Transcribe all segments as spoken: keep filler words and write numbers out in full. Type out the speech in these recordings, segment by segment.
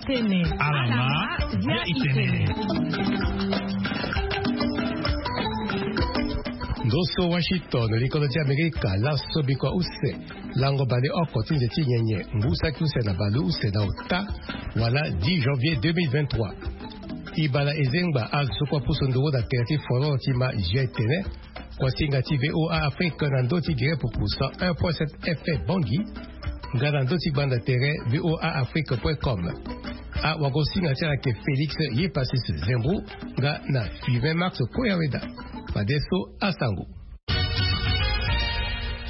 Tene. Alama, dia itene. Ndo so Washington, likolo ti Amerika, laso bikua use, lango baleoko ti nze ti nyenye, ngu saki use na baleuse na ota, wala dix janvier deux mille vingt-trois. Ibala ezengba azo so kue apusu nduru na tere ti folon ti ma G T N. Kuasinga ti V O A Afrique na ndö ti gere pupu cent un point sept F M Bangui, nga na ndö ti gbanda tere V O A Afrique point com. Awagosinga ti ala ayeke Félix Yepasis Zembrou, nga na Fivin Max Koyaweda. Fadeso asango.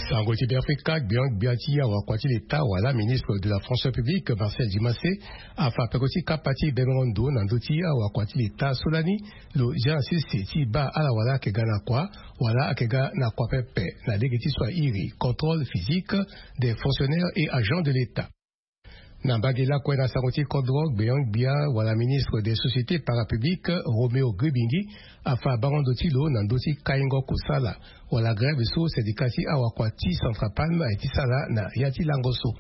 Sango ti Beafrika, gbia gbia ti awakua ti leta wala ministre de la fonction publique Marcel Dumassé afa peko ti kapa ti bebengo ndo na ndö ti awakua ti leta so lani lo zia na sese ti baa ala wala ayeke ga na kua wala ayeke ga na kua pepe na lege ti so airi contrôle physique des fonctionnaires et agents de l'État. Na mbage lakue na sango ti kodro, gbia gbia wala ministre des sociétés parapubliques Roméo Gribingi afa bango ndo ti lo na ndö ti kaingo kosala wala grève so syndicat ti awakua ti Centrapalm aye ti sala na ya ti lango so.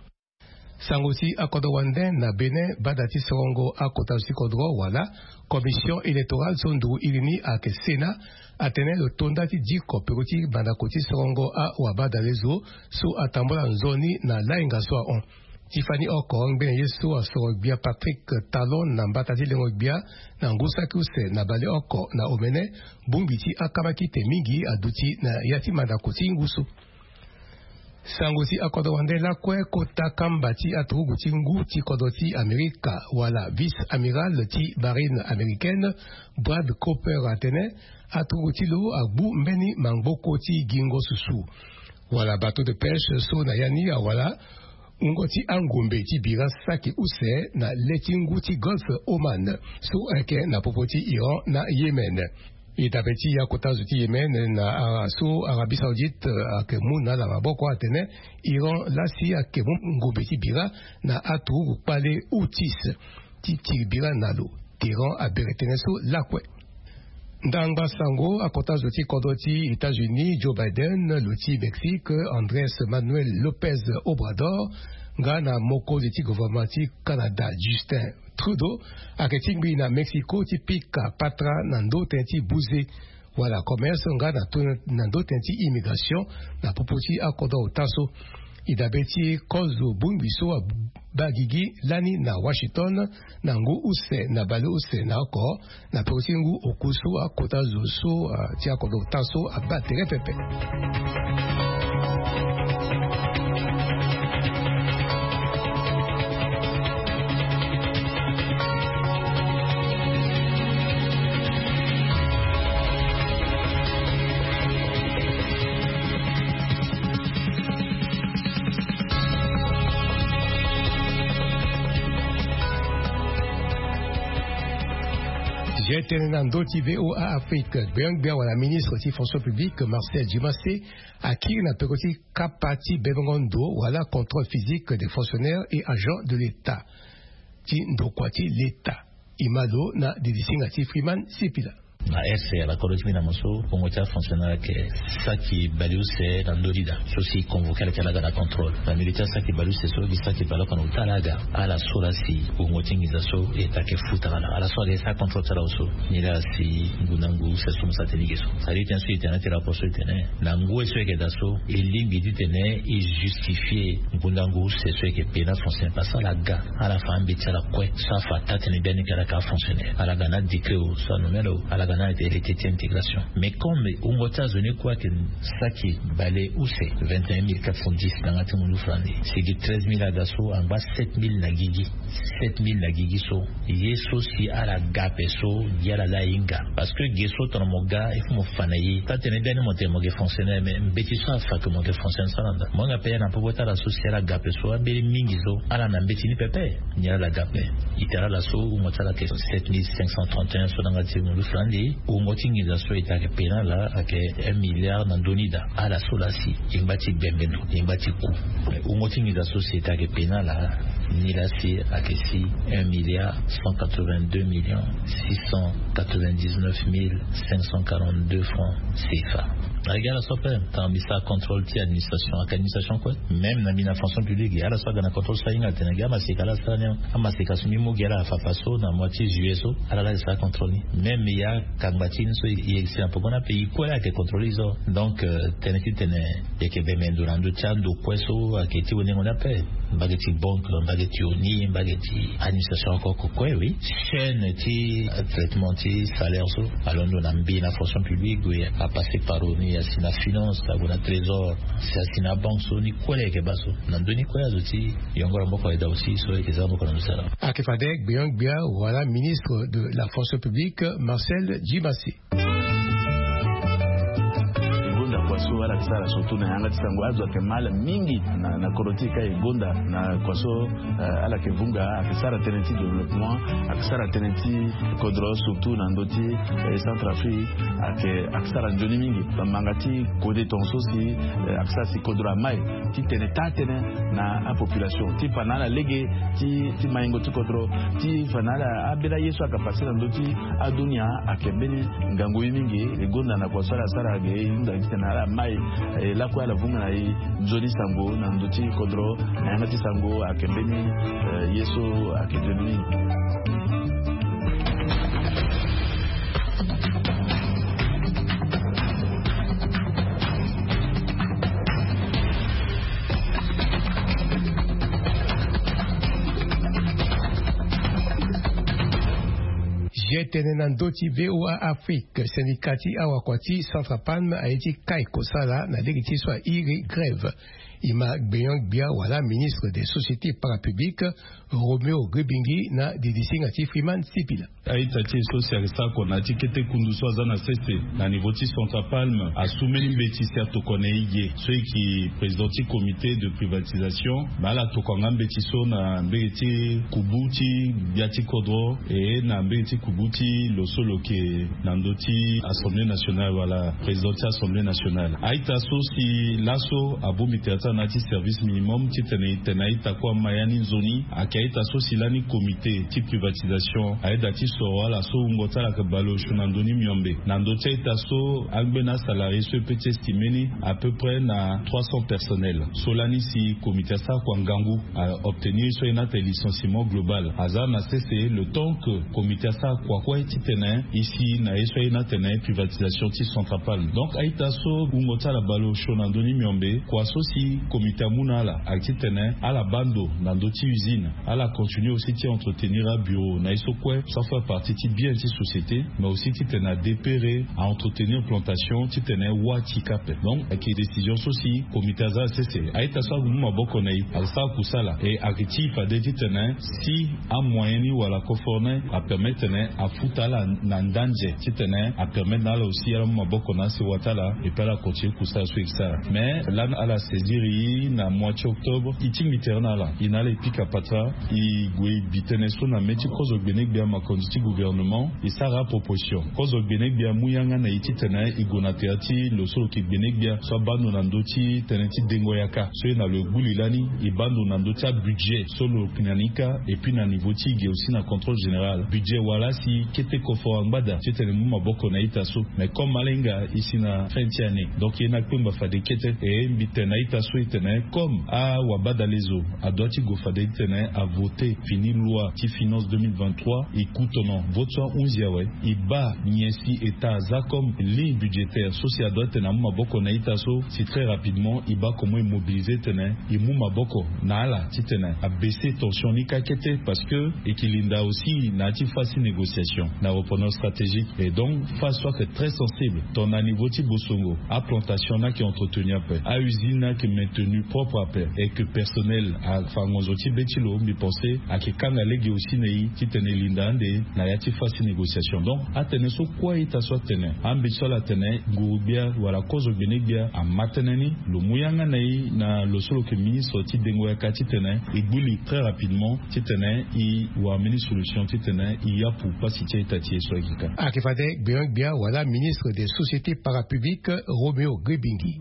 Sango ti akodro wande na Bénin, bada ti sorongo akota zo ti kodro wala commission électorale so nduru iri ni ayeke Sénat, atene lo to nda ti diko peko ti mandako ti sorongo awabadale zo so atambula nzoni na lainga so ahon. Ti fani oko ngbene ye so asoro gbia Patrick Talon na mbata ti lengo gbia na ngu saki use na baleoko na omene, bongbi ti akama kite mingi aduti na ya ti mandako ti ngu so. Sango ti akodro wande lakue, kota kamba ti aturugu ti ngu ti kodro ti Amerika wala vice amiral ti marine américaine Brad Cooper atene aturugu ti lo agbu mbeni mangboko ti gingo susu wala bateau de pêche so na ya ni awala wungo ti angombe ti bira saki use na le ti ngu ti Golfe Oman so ayeke na popo ti Iran na Yémen. E dabe ti akota zo ti Yémen na ara so Arabie Saoudite ayeke mu na ala maboko atene Iran lasi ayeke mu ngombe ti bira na aturugu kpale Houthis ti tiri bira na lo. Téhéran abere tënë so lakue. Ndangba sango, akota zo ti kodro ti États-Unis Joe Biden, lo ti Mexique Andrés Manuel López Obrador, nga na mokonzi ti gouvernement ti Canada Justin Trudeau ayeke tingbi na Mexico ti pika patara na ndö tënë ti buze wala commerce nga na to na ndö tënë ti immigration na popo ti akodro ota so. E dabe ti kozo bongbi so abaa gigi lani na Washington na ngu use na baleuse na oko na peko ti ngu oku so akota zo so, ah, ti akodro ota so abaa tere pepe. Zia tënë na ndö ti V O A Afrique, gbengbe wala ministre ti fonction publique Marcel Dumassé akiri na peko ti kapa ti bebengo ndo wala contrôle physique des fonctionnaires et agents de l'État ti ndokua ti l'État. E ma lo na didisinga ti Freeman Sipila. Na R C A, kodro ti mbi na mo so, wungo ti afonctionnaire ayeke saki baleuse na ndö ti da. So si e convoqué ala ti ala aga na contrôle. Na milieu ti asaki baleuse so, gi saki baleoko na ota ala aga. Ala so la si wungo ti nginza so e yeke futa ala. Ala so ayeke sara contrôle ti ala so. Nilaa si ngu na ngu use so mo sara tënë ge so. Sara tënë so e tene na ti rapport so e tene na ngoi so e yeke daa so, e lingbi titene e justifié ngu na ngu use so e yeke payé na fonctionnaire, parce que ala ga, ala fa ambeti ti ala kue so afa taa-tënë biani ke ala yeke afonctionnaire. Ala ga na décret o so anommé lo, ala ga na arrêté ti intégration. Mais comme wungo ti azo ni kue ayeke saki baleuse, vingt et un mille quatre cent dix na yanga ti mundu farani, si gi treize mille aga so, angba sept mille na gigi. Sept mille na gigi so. Ye so si ala ga ape so, gi ala laa e hinga. Parce que ge so tongana mo ga, il faut mo fa na ye. Taa-tënë biani mo tene mo yeke fonctionnaire, mais mbeti so afa ke mo yeke fonctionnaire so ala nda. Mo hinga ape na popo ti ala so si ala ga ape so, ambeni mingi so ala na mbeti ni pepe. Nilaa ala ga ape. E tara ala so, wungo ti ala ayeke sept mille cinq cent trente et un so na yanga ti mundu farani. Wungo ti nginza so e tene ayeke payé na ala ayeke un milliard na ndö ni da. Ala so la si e ngba ti gbengbe ndo, e ngba ti ku. Mais wungo ti nginza so si e tene ayeke payé na ala, nilaa si ayeke si un milliard cent quatre-vingt-deux millions six cent quatre-vingt-dix-neuf mille cinq cent quarante-deux francs C F A. Agi ala so ape, tanga mbi sara contrôle ti administration, aka administration kue. Même na mbi na fonction publique, ala so aga na contrôle so ahinga tene agi amaseka ala asara ni. Amaseka so mbi mu gi ala afafa so na mois ti juillet so, ala laa sara contrôle ni. Même ya kangba ti ni so i yegisi na poko ni ape, i kue ayeke contrôle i so. Donc tene ti tene i yeke bembe ndo na ndö ti ando kue so ayeke ti wenengo ni ape. Mbage ti banque, mbage ti oni, mbage ti administration oko oko kue, oui. Chaîne ti traitement ti salaire so alondo na mbi na fonction publique, oui, apasser par oni, asi na finance, ague na trésor, si asi na banque so ni kue la yeke baa so. Na ndö ni kue azo ti yongoro moko ayeda aussi so yeke za moko na ndö ti ala. Ake fade gbeon gbia wala ministre de la fonction publique, Marcel Djimasi. Gonda kua so ala ke sara surtout na yanga ti sango, azo ake mal mingi na koro ti e ka e gonda na kua so. Ala ke vunga ake sara tënë ti développement, ake sara tënë ti kodro surtout na ndö ti Centrafrique. Ake sara nzoni mingi bamanga ti kode tonga so si ake sara si kodro amai ti tene taa tënë na apopulation ti fa na ala lege ti maingo ti kodro, ti fa na ala abela ye so aka pase na ndö ti adunia. Ake mbeni ngangu ye mingi. E gonda na kua so ala sara ge e hinga ti tene ala mai e lakue ala vunga na e nzoni sango na ndö ti kodro na yanga ti sango ake mbeni ye so ake nzoni mingi. Jetene na ndö ti VOA Afrique, syndicat ti awakua ti Centrapalme aye ti kai kosala na lege ti so airi grève. E ma gbeon gbia wala ministre des sociétés parapubliques, Roméo Rubingi, na didisinga ti Freeman Sipila. A-ita ti e so si ayeke sara kua na ya ti kete kundu so aza na sese na niveau ti Centrapalme asu mbeni mbeti si atokua na e ge so e yeke président ti comité de privatisation. Me ala tokua nga mbeti so na mbege ti kubu ti gbia ti kodro e na mbege ti kubu ti lo so lo yeke na ndö ti assemblée nationale wala président ti assemblée nationale. A-ita so si laso abongbi tere ti ala na ya ti service minimum titene e tene a-ita kue ama ya ni nzoni. Ayeke a-ita so si lani comité ti privatisation ayeda ti soro ala so wungo ti ala ayeke baleosio na ndö ni miombe. Na ndö ti a-ita so angbeni asalarié so e peut ti estimé ni à peu près na trois cents personnels. So lani si comité asara kua ngangu a obtenir so aye ni atene licenciement global. Aza na sese le temps que comité asara kua kue titene e si na ye so aye ni atene privatisation ti Centrapalme. Donc a-ita so wungo ti ala baleosio na ndö ni miombe, kua so si comité amu na ala ayeke titene ala baa ndo na ndö ti usine, ala continuer aussi ti entretenir abureau na ye so kue so afaire partie ti bien ti société, mais aussi titene adépere a entretenir plantation titene wâ ti ka ape. Donc ayeke décision so si comité aza na sese. A-ita so amu maboko na e ayeke sara kusala e ayeke ti fade titene si amoyen ni wala kofor ni apermettre tene afuta ala na ndanze titene apermettre na ala aussi ala mu maboko na asewa ti ala. Et puis ala continue kusala so e yeke sara. Mais lani ala saisir e na mois ti octobre, e tingbi tere na ala, e na ala e pika patara. E gue e bi tënë so na mê ti kozo gbene gbia makonzi ti gouvernement, e sara aproposition. Kozo gbene gbia amu yanga na e titene e gue na tere ti lo so lo yeke gbene gbia so abaa ndo na ndö ti tënë ti dengo yaka so e na lo e gbu li lani. E baa ndo na ndö ti abudget so lo yeke na ni kâ. Et puis na niveau ti e ge aussi na contrôle général, budget wala si kete koforo angbada titene e mu maboko na a-ita so. Mais comme ala hinga e si na fin ti année, donc e na kpengba fade kete. E mbi tene na a-ita so e tene comme awabadalezo adoit ti gue fade titene avoter fini loi ti finance deux mille vingt-trois, e ku tono vote so ahunzi awe. E baa nyen si État aza comme ligne budgétaire so si adoit titene amu maboko na a-ita so, si très rapidement e baa comment e mobiliser titene e mu maboko na ala titene abaisser tension ni kâ kete, parce que e yeke linda aussi na ya ti phase ti négociation na repreneur stratégique. Et donc phase so ayeke très sensible. Tongana niveau ti bosongo, aplantation ni ayeke entretenir ape, ausine ni ayeke maintenu propre ape, et que personnel afa ngonzo ti be ti lo, mbi pense ayeke kanga lege aussi na e titene e linda ande na ya ti phase ti négociation. Donc atënë so kue a-ita so atene, ambeti so ala tene nguru-gbia wala kozo gbene gbia ama tënë ni, lo mu yanga na e na lo so lo yeke ministre ti dengo yaka titene e gbu li très rapidement titene e wara mbeni solution titene e yapu pasi ti a-ita ti e so ayeke ka. Ayeke fade gbeon gbia wala ministre des sociétés parapubliques, Roméo Rubingi.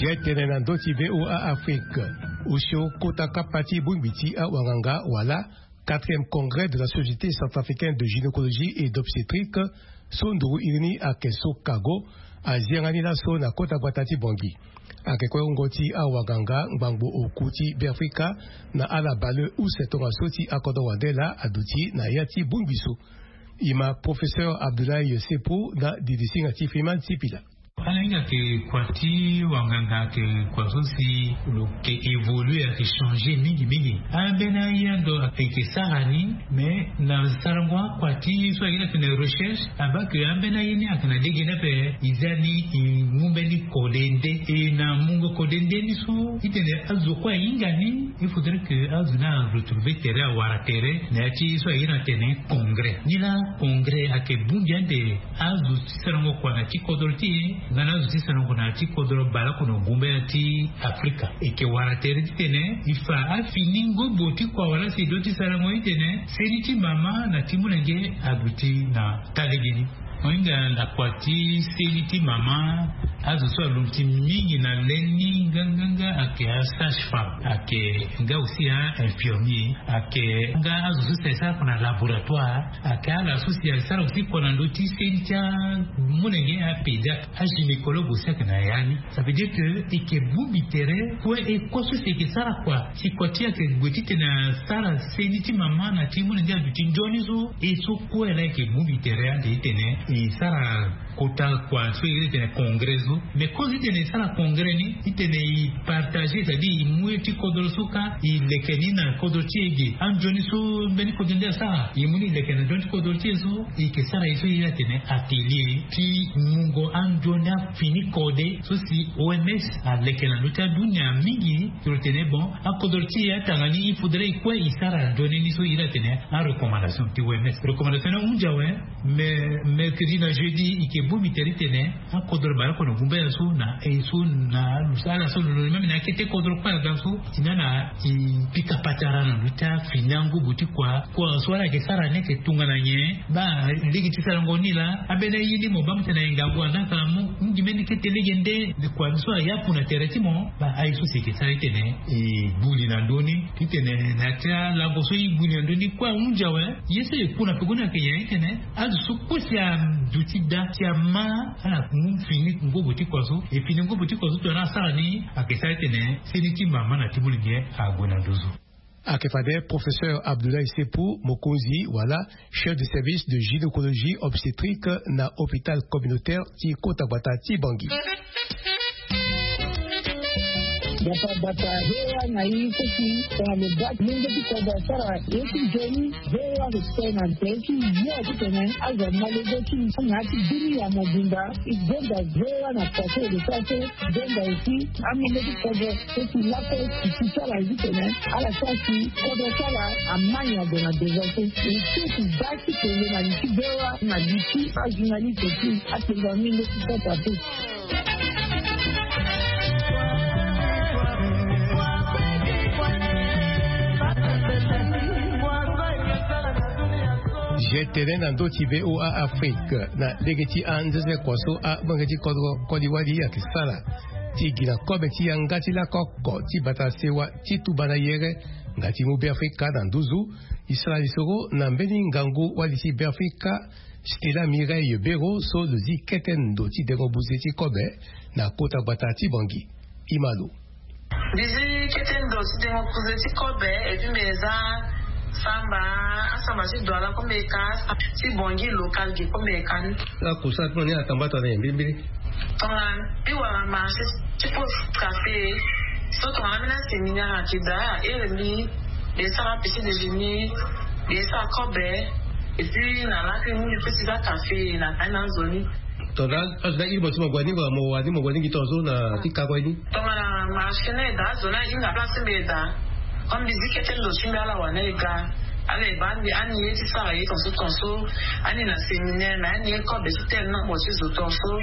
Ye tene na ndö ti VOA Afrique. Osio kota kapa ti bongbi ti awanganga wala quatrième congrès de la Société centrafricaine de gynécologie et d'obstétrique, so nduru iri ni ayeke so kago, azi yanga ni laso na kota gbata ti Bangui. Ayeke kue wungo ti awanganga ngbangbo oku ti Beafrika na ala baleuse use tongaso ti akodro wande laa aduti na ya ti bongbi so. E ma professeur Abdoulaye Sepo na didisinga ti Freeman Sipila. Ala hinga ayeke kua ti wanganga, ayeke kua so si lo yeke évoluer, ayeke changer mingi mingi. Ambeni aye ando ayeke sara ni, mais na sarango akua ti so ayeke na tene recherche, abaa ke ambeni aye ni ayeke na lege ni ape. E za ni e mu mbeni kode nde. E na mungo kode nde ni so, titene azo kue ahinga ni, il faudrait que azo ni aretrouver tere, awara tere na ya ti so ayeke na tene congrès. Ni laa congrès ayeke bongbi ande azo ti sarango kua na ti kodro ti e nga na azo ti sarango na ti kodro baleoko na gumbaya ti Afrika. E yeke wara tere titene e fa afini ngobo ti kua wala si e do ti sarango titene seni ti mama na ti molenge aduti na taa legeni. Mo hinga na kua ti seni ti mama, azo so alungbi ti mingi na le ni nganganga ayeke asage-femme, ayeke nga aussi a-infirmier, ayeke nga azo so si asara kua na laboratoire, ayeke ala so si asara aussi kua na ndö ti seni ti amolenge, apédiatre, agynécologue aussi ayeke na ya ni. Ça veut dire que e yeke bongbi tere kue, e kue so si e yeke sara kua si kua ti e ayeke gue titene asara seni ti mama na ti molenge aduti nzoni so. E so kue laa e yeke bongbi tere ande titene e sara kota kua so e iri titene congrès so. Mais kozo titene e sara congrès ni, titene e partager, c'est-à-dire e mu ye ti kodro so kâ e leke ni na kodro ti e ge. Anzoni so mbeni kodro nde asara, e mu ni e leke na nzoni ti kodro ti e so. E yeke sara ye so e iri atene atelier ti mungo anzoni afini kode so si O M S aleke na ndö ti adunia mingi. Ti lo tene bon, akodro ti e atanga ni, il faudrait kue e sara nzoni ni so e iri atene arecommandation ti O M S. Recommandation ni ahunzi awe. Mais mercredi na jeudi e yeke bongbi tere titene akodro baleoko na gumbaya so na e so na alusa ala so lo même na akete kodro kue aga so, e na na e pika patara na ndö ti afini angubu ti kua. Kua so ala yeke sara ni ayeke tongana nyen? Baa lege ti sarango ni laa, ambeni aye ni mo baa mo tene na e ngangu anda kala mo. Mingi mbeni kete lege nde kua ni so ayapu na tere ti mo. Baa aye so si e yeke sara titene e gbu li na ndö ni. Titene na ya ti alango so e gbu li na ndö ni kue ahunzi awe. Ye so e ku na peko ni ayeke nyen? Titene azo so kue si aduti daa si ama, ala mu fini ngobo ti kua so. E fini ngobo ti kua so tongana asara ni, ayeke sara titene seni ti mama na ti molenge ague na nduzu. Ayeke fade professeur Abdoulaye Sepu, mokonzi wala chef de service de gynécologie obstétrique na hôpital communautaire ti kota gbata ti Bangui. Bata bata, hewa na i kosi tongana lo baa ti mungo ti kodro asara ye ti nzoni. Hewa lo tene na nze ti yo titene azo ama lege ti na ya ti bini ya mobimba. E gonda hewa na kua so e lo sara so. Gonda aussi amungo ti kodro so si lakue si ti sara ye titene ala sara si kodro ti ala ama nyen ague na devant so. E so si baa ti kele na li ti hewa na li ti ajournaliste ti apenza mingo ti sasa te. Ye tene na ndö ti VOA Afrique na lege ti anzenze kua so amolenge ti kodro koli wali ayeke sara ti gi na kobe ti yanga ti lako oko ti bata sewa ti tuba na yere nga ti mu Beafrika na nduzu. E sara lisoro na mbeni ngangu wali ti Beafrika, Stella Mireille Bero, so lo zi kete ndo ti dengo buze ti kobe na kota gbata ti Bangui. E ma lo. Mbi zi kete ndo ti dengo buze ti kobe, et puis mbi za samba, asamba ti Douala kue mbi ka, ti Bangui local ge kue mbi ka ni. Akusara ti mo ni atamba tongana nyen mbilimbili? Tongana mbi wara marché ti pose café, so tongana mbi na séminaire ayeke daa, ere mbi, mbi sara petit déjeuner, mbi sara kobe, et puis na lakue mbi peut ti za café na kani na nzoni. Tongana azo ni airi mo ti mo gue ni, wala mo wara ni mo gue ni gi tongaso na ti kakue ni? Tongana marché ni ayeke daa, azo ni ahinga place ti mbi ayeke daa. Comme mbi zi kete ndo ti mbi, ala wara ni ayeke ga. Ala yeke baa mbi ani ye ti sara ye tongaso tongaso, ani na séminaire, na ani ye kobe ti tene nombre ti zo tongaso.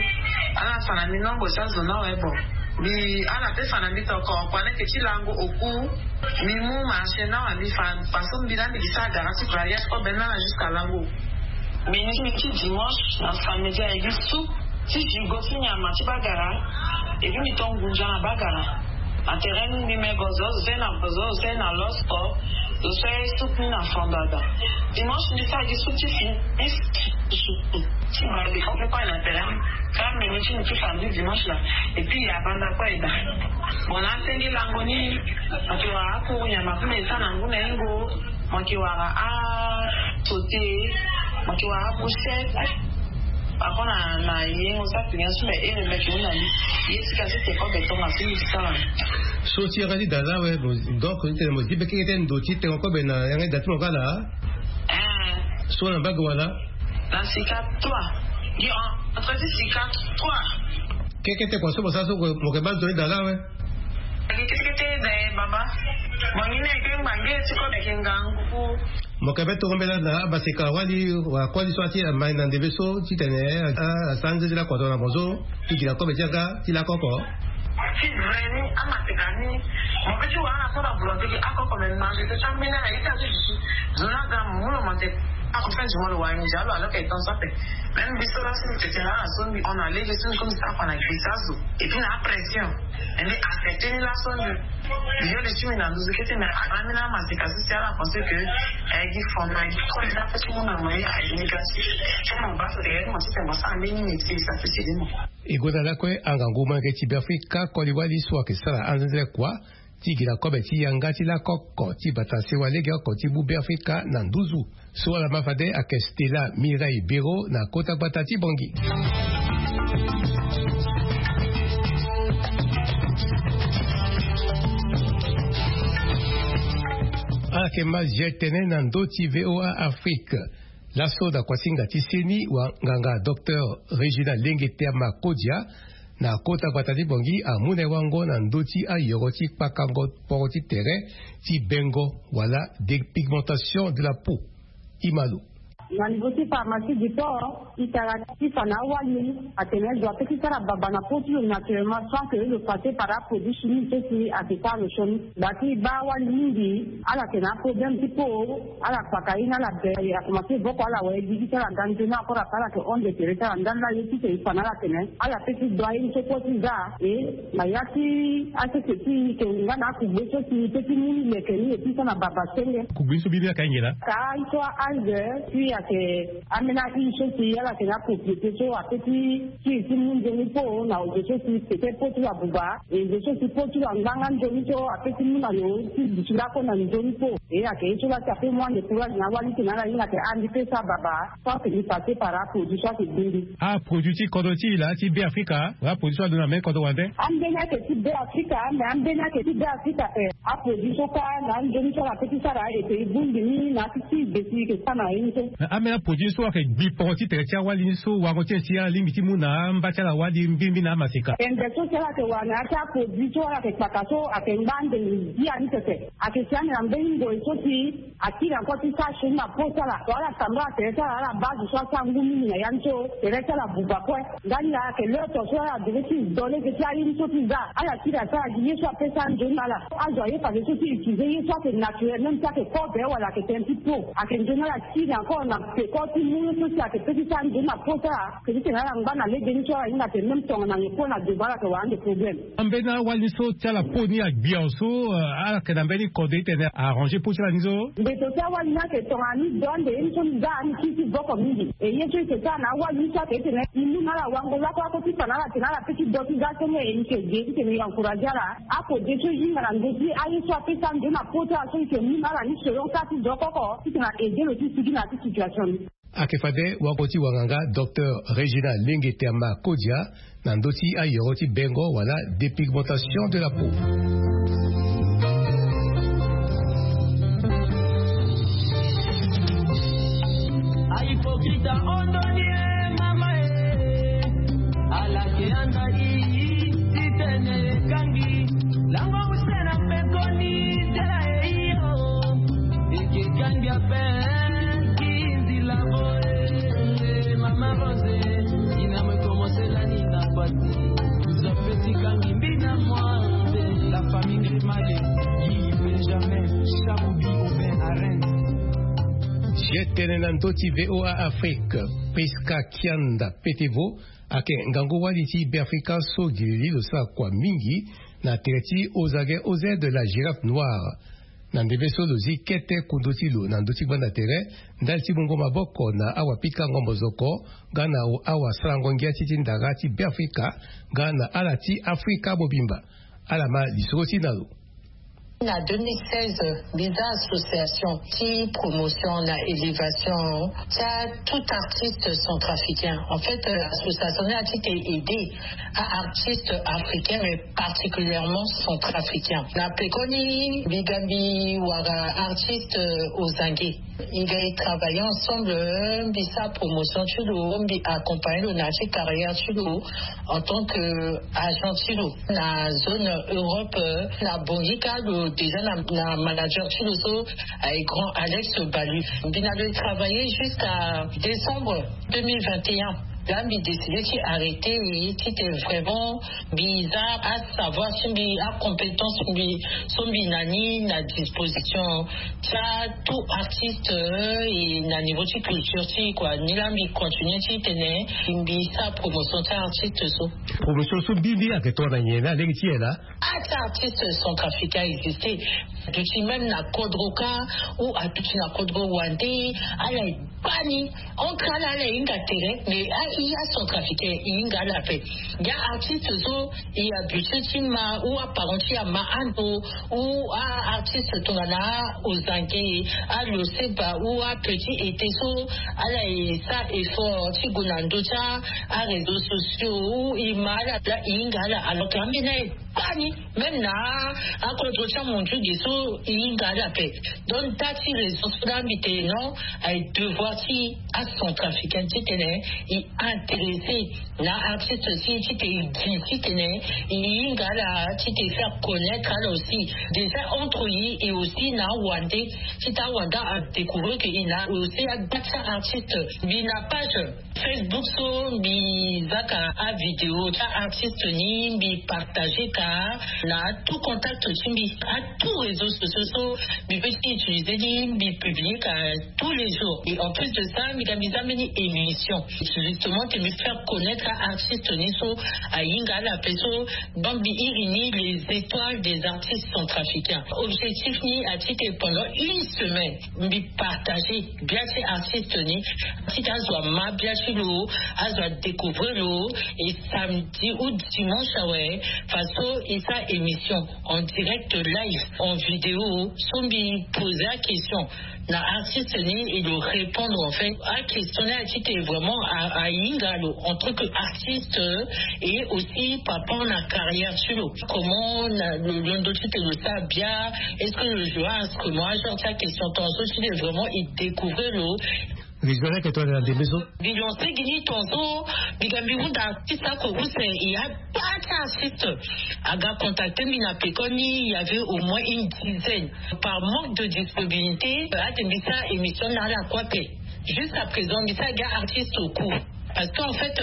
Ala fa na mbi nombre ti azo ni awe, bon. Mbi, ala peut fa na mbi toko kua ni ayeke ti lango oku. Mbi mu marché ni awe, mbi fa façon mbi na mbi gi sara gara ti variété kobe ni ala jusqu'à lango. Mbi ni mbi ti dimanche na samedi ayeke gi soupe ti gigot ti nyama ti bagara. Epi mi to ngunza na bagara na terrain ni, mbi me go zo zo na zo zo na losko zo so e soutenir na fondada. Dimanche mbi sara gi souti fini. Ti bala mbi fo mpe kue na terrain. Kara mbi mbi ti mbi ti famille dimanche la. Epi ya banda kue eda. Bon na senge lango ni. Maki wara akuru nyama mpe me sa na ngu na ingo. Maki wara a sauté. Maki wara a brochette. Ako na na yengo sa tini asu me ere meki una ni. Ye sika si te ko beto ma si sala. So ti yanga ti dala we. Donc ni tene mo zibe keke te ndo ti tengo kobe na yanga ti dati mo kala. So na mbage wala. Na sika trois. Gi en entre ti sika trois. Keke te kua so mo sa so mo ke baa ndo ti dala we. Keke te da e baba. Mo ni ne ke mbange ti kobe ke ngangu. Mo ke be tongo mbela na abaseka wali wa koli so ati amai na ndebe so titene asara nze ti lakua tongana mo so. Ti gi na kobe ti yanga ti lakoko. Ti vrai ni amaseka ni. Mo pe ti wara na so na volonté ki akoko me mange te ti ambeni ala ita ti dusu. Zo na ga mu lo mo te. Ako fin du mois lo wara nginza lo alors que temps so ape. Même biso laso mbi tete na ala so mbi hon na lege so mbi komi sara kua na gbisa azo. Et puis na apression. Mbi accepte ni laso mbi. Mbi yo le ti mbi na nduzu kete me agra mbi na amaseka so si ala pense que eh gi fond na gi koli na pe ti mu na mo ye aye négatif. Ti mo baa so de mo ti te mo sara mbeni métier sa pe ti de mo. E gonda lakue angangu molenge ti Beafrika koli wali so ayeke sara anzenze kua ti gi na kobe ti yanga ti lakoko ti bata sewa lege oko ti mu Beafrika na nduzu. So ala ma fade ayeke Stella Mireille Bero na kota gbata ti Bangui. Ala yeke ma zia tene na ndö ti V O A Afrique. Laso na kuasinga ti seni wanganga docteur Régina Lengeterma Kodia na kota gbata ti Bangui amu na e wango na ndö ti ayoro ti kpakango poro ti tere ti bengo wala dépigmentation de la peau. Imalo. Na niveau ti pharmacie du port itara ti fa na awali atene zo ape ti sara baba na peau ti lo naturellement sans que lo passe par aproduit chimique so si ayeke sara lo sioni. Bati baa wali mingi ala yeke na aproblème ti peau. Ala kpaka ye ni ala be akomanse voko ala waye gigi ti ala ga nzoni ankora ape ala yeke honde tere ti ala ndali la ye ti tene fa na ala tene ala pe ti do aye ni so kue ti za. E na ya ti asese ti e yeke nga na akugbe so si e pe ti mu ni leke ni e ti so na baba senge. Kugbe ni so mbi ni ayeke ahinga laa? Ka ye so a-algue puis ayeke ambeni ahuile so si ala yeke na apropriété so ape ti kiri ti mu nzoni peau na ozo so si pete peau ti lo abuba. E zo so si peau ti lo angba nga nzoni so ape ti mu na lo ti duti lakue na nzoni peau. E ayeke ye so la si ape mu ande courage na awali tene ala hinga ayeke andi pe so ababa so ayeke ni passe par aproduit so ayeke gbi mbi. Aproduit ti kodro ti e laa ti Beafrika wala aproduit so alondo na mbeni kodro wande? Ambeni ayeke ti Beafrika me ambeni ayeke ti Beafrika ape. Aproduit so kâ na anzoni so ala pe ti sara e yeke e bongbi ni na ya ti ti gbe si e yeke sara na ye ni so. Na ambeni aproduit so ayeke gbi poro ti tere ti awali ni so wango ti e si ala lingbi ti mu na amba ti ala wali mbirimbiri na amaseka. Tende so si ala yeke wara na ya ti aproduit so ala yeke kpaka so ayeke ngba ande ngia ni tete. Ayeke si ande na mbeni ngoi so si akiri ankora ti sara sioni na peau ti ala. So ala tambula tere ti ala ala baa zo so asara ngu mingi na ya ni so tere ti ala buba kue. Ndani laa ayeke l'heure so ala devait ti do lege ti aye ni so ti za ala kiri asara gi ye so ape sara nzoni na ala. Azo aye fade so ti utiliser ye so ayeke naturel même si ayeke kobe wala ayeke tënë ti peau ayeke nzoni ala kiri encore na peko ti mu ye so si ayeke pe ti sara nzoni na peau ti ala. Ayeke ti tene ala ngba na lege ni so ala hinga atene même tongana nyen peau na doba ala yeke wara ande problème. Ambeni awali ni so ti ala peau ni agbi awe so ala yeke na mbeni kode ti tene arranger peau ti ala ni so. Mbeto ti awali ni ayeke tongana ni do ande ye ni so ni za ni kiri ti voko mingi. E ye so e yeke sara na awali ni so ayeke ti tene e mu na ala wango lakue lakue ti fa na ala tene ala pe ti do ti za senge e yeke ge ti tene e encourager ala. Apo de so e hinga na ndö ti aye so ape sara nzoni na peau ti ala so e yeke mu na ala ni selon ka ti zo oko oko ti tene a aider lo ti sigi na ya ti situation ni. Ayeke fade wango ti wanganga docteur Régina Lengeterma Kodia na ndö ti ayoro ti bengo wala dépigmentation de la peau. Ahypocrite ahon ndoni e mama e. Ala ke anda i ti tene e kangi. Lango use na pekoni tela e iyo. Eke kangi ape ki nzila boye. Mama Rose, ina mo e commencer lani na pati. Zo ape ti kangi mbi na moi. La famille Grimale, Guy Benjamin, Chabubi Aubin Arend. Zia tene na ndö ti V O A Afrique, Prisca Kianda Petevo Ake ngangu wali ti Beafrika so gi lili lo sara kua mingi na tere ti ozage oze de la girafe noire. Na ndembe so lo zi kete kundu ti lo na ndö ti gbanda tere ndali ti mungo maboko na awapika ngombo zoko nga na awasarango ngia ti ti ndara ti Beafrika nga na ala ti Afrika mobimba. Ala ma lisoro ti na lo. Na deux mille seize, biza association ti promotion na élévation ti tout artiste centrafricain. En fait, association ni a ti te aider à artistes africains, mais particulièrement centrafricains. Na pekoni bigambi wara artiste aux anguilles. Il est travaillé ensemble, mbi sa promotion ti lo, mbi accompagner lo na ti carrière ti lo en tant que agent ti lo na zone Europe. Na bongi ka lo déjà na, na manager ti lo so, eh, grand Alex Balu. Mbi na lo travailler jusqu'à décembre deux mille vingt et un. Là mbi décidé ti arrêter et ti te vraiment mbi za asavoir ti mbi, acompétence mbi so mbi na ni na disposition ti tout artiste, eh, et na niveau ti culture ti quoi. Ni la mbi continue ti tene mbi sa promotion ti artiste so. Promotion so mbi mbi ake tongana nyen na lege ti yela? Ah, ti artiste centrafricain existe. Aduti même na kodro ka ou aduti na kodro wande, ala e bani entre ala ala e hinga tere, mais a i a centrafricain e hinga ala pe. Ya artiste so e habitué ti ma ou aparent ti ama ando ou a artiste tongana Ozange, a Loseba ou a Petit Été so ala e sa effort ti gue na ndö ti a réseaux sociaux ou e ma ala la e hinga ala alors que ambeni aye bani même na akodro ti amondu ge so e hinga ala pe. Donc da ti raison so la mbi te non, aye devoir ti acentrafricain ti tene e intéressé na artiste aussi ti te e gi ti tene e hinga ala ti te faire connaître ala aussi déjà entre e et aussi na awande ti ta awande adécouvrir que e na aussi agba ti artiste. Mbi na page Facebook so mbi zaka avidéo ti artiste ni mbi partager ka na tout contact ti mbi, a tout réseau sociaux so mbi peut ti utiliser ni mbi publier ka tous les jours. Et en plus de ça mbi ka mbi za mbeni émission justement te mbi faire connaître artiste ni so ahinga ala pe so. Donc mbi iri ni les étoiles des artistes centrafricains. Objectif ni a ti te pendant une semaine mbi partager bia ti artiste ni ti ta azo ama bia ti lo, azo adécouvrir lo. Et samedi ou dimanche awe faso e sa émission en direct live en vidéo so mbi poser aquestion na artiste ni e lo répondre en fait aquestion ni a ti te vraiment ahinga lo en tant que artiste et aussi par rapport na carrière ti lo comment na lo londo ti te lo sa bia, est-ce que lo joue instrument, genre ti aquestion tonga so ti te vraiment e découvrir lo. Mbi zo leke to na ndembe so. Mbi lancer gi ni tonga so mbi ga mbi hunda artiste ako use e a ba ti artiste aga contacter mbi na pekoni il y avait au moins une dizaine. Par manque de disponibilité ate mbi sa émission na ala kue ape. Jusqu'à présent mbi sa ga artiste au cours parce que en fait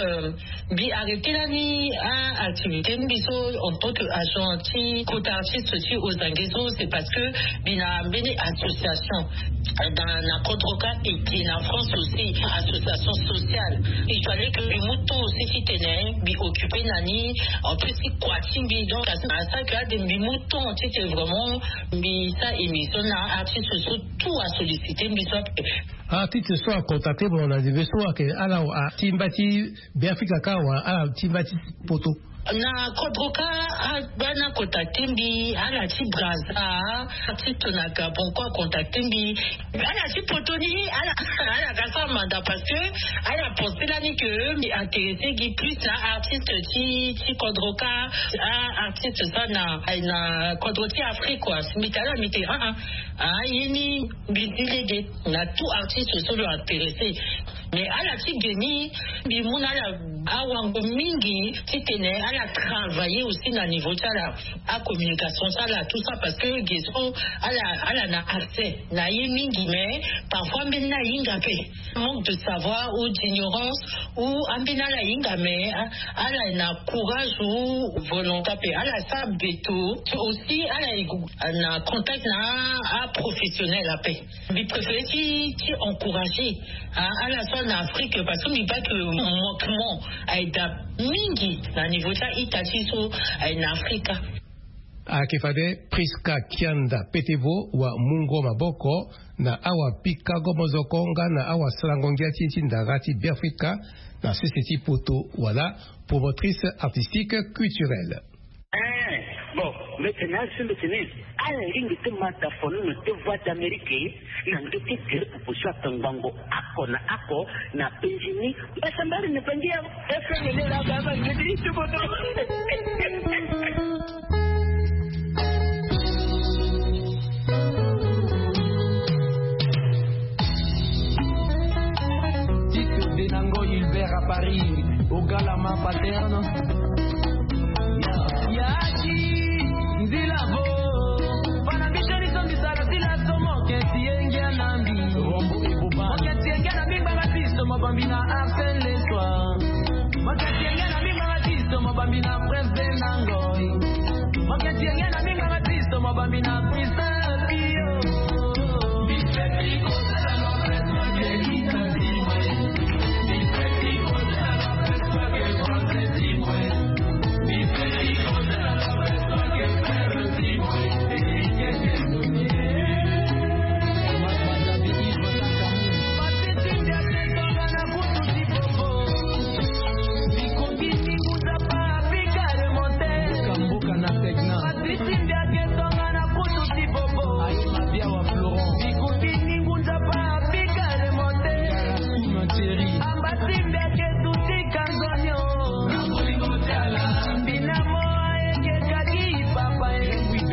mbi arrêter lani activité mbi so en tant que agent ti kota artiste ti Ozange so c'est parce que mbi na mbeni association dans na kodro ka et qui na France aussi association sociale. Il fallait que mbi mu temps aussi ti tene mbi occuper na ni en plus ti kua ti mbi donc à ça que ade mbi mu temps ti te vraiment mbi sa émission na artiste so tout a solliciter mbi so ape. Artiste so a contacter mo na ndembe so ake ala atimba ti Beafrika ka wala ala atimba ti poto? Na kodro ka abana contacter mbi ala ti Brazza, artiste na Gabon ko a contacter mbi. Ala ti poto ni ala ala ka sa manda parce que ala pensé lani que mbi intéressé gi plus na artiste ti ti kodro ka. Artiste sa na na kodro ti Afrique quoi. Mbi tala mbi te ah ah ah ye ni mbi zi lege na tout artiste so lo intéressé. Mais ala ti ge ni mbi mu na ala awango mingi ti tene ala travailler aussi na niveau ti ala acommunication ti ala tout ça parce que ge so ala ala na accès na ye mingi mais parfois mbeni ahinga pe manque de savoir ou d'ignorance ou ambeni ala hinga mais ala na courage ou volonté pe ala sa beto aussi ala na contact na aprofessionnel ape. Mbi préféré ti ti encourager ala so Na afrique parce que mbi baki manquement aye da mingi na niveau ti a-ita ti so aye na afrika. Ayeke fade Prisca Kianda Petevo wa mungo maboko na awapikago mozoko nga na awasalango ngia ti e ti ndara ti Beafrika na sese ti poto wala promotrice artistique culturelle. Bon, mbete na asu mbete ni ala lingi ti mata fono na te voix d'amérique na nge ti gere pupu so atongbango ako na ako na penzi ni. Mbasa mbari na bangi ya efengelela baba nge ti tuboto. Tito Denango Hilbert à Paris, Ogalama Paterne. Yaki nzila vo bana mbi toni so mbi sara sila so moketi ye ngia na mbi. Rombo eboba moketi ye ngia na mbi ngbanga biso mabambi na Arsène Lesoir. Moketi ye ngia na mbi ngbanga biso mabambi na Prince Denango. Moketi ye ngia na mbi ngbanga biso mabambi na Prince Pio.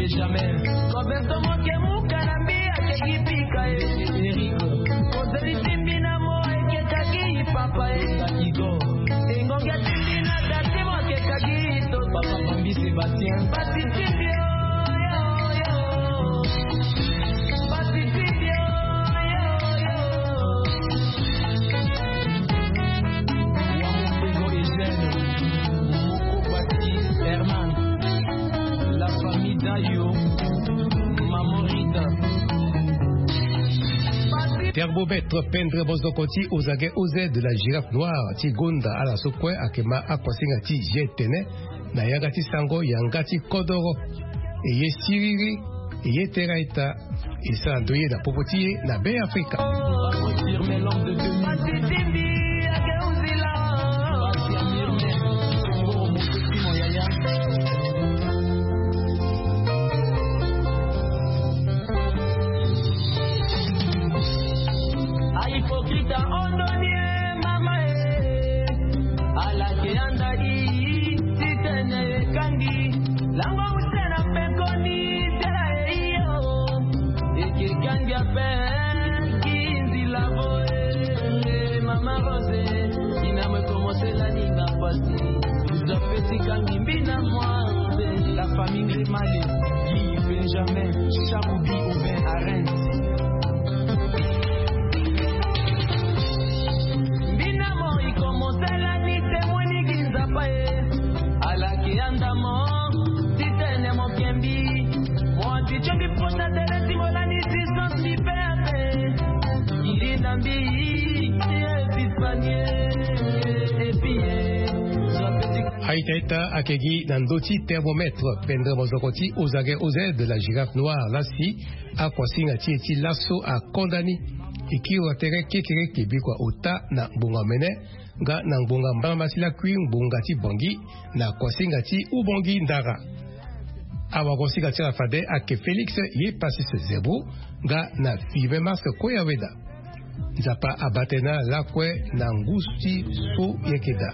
Benjamin. Roberto Moke muka na mbi akeki pika e. Eric. Kozeli ti mbi na mo ekekaki papa e. Igo. Engonge ti mbi na dati mo akekaki to. Papa Bambi Sébastien. Pasi ti mbi o, yo, yo. Pasi ti mbi o, yo, yo. Wamumbego Eugène, Moko Bati Herman, la famille Dayo, Maman Rita. Thermomètre pendre mozoko ti Ozage O Z de la girafe noire ti gonda ala so kue ayeke ma akuasinga ti G T N. Na yanga ti sango yanga ti kodoro. E ye siriri, e ye tera eta. E sara ndoye na popo ti e na Be Afrika. Ahypocrite ahondoni e mama e. Ala ke anda i ti tene e kangi. Lango use na pekoni tera e iyo. E ke kangi ape. Ki nzila vo e mama Rose. Ina mo e komanse lani nga pasi. Nzambe ti kangi mbi na moi. La famille Ngremale, Guy Benjamin, Chabubi Aubin Arens. Mbi na mo i komanse lani te mo ni gi Nzapa e. Ala ke anda mo ti tene mo ke mbi. Mo ti tio mbi pota tene ti mo lani distance mbi pe ape. I li na mbi e. Aita-ita ayeke gi na ndö ti thermomètre pendre mozoko ti Ozage O Z de la girafe noire lasi akuasinga ti e ti laso akonda ni. E kiri wa tere kekereke bikua ota na ngbonga omene nga na ngbonga mbalama ti lakui ngbonga ti Bangui na kuasinga ti Ubangui Ndara. Awagosinga ti ala fade ayeke Félix ye Pacis Zebro nga na Firmin Mars Koyaweda. Nzapa abaa tënë na ala lakue na ngu ti so yeke daa.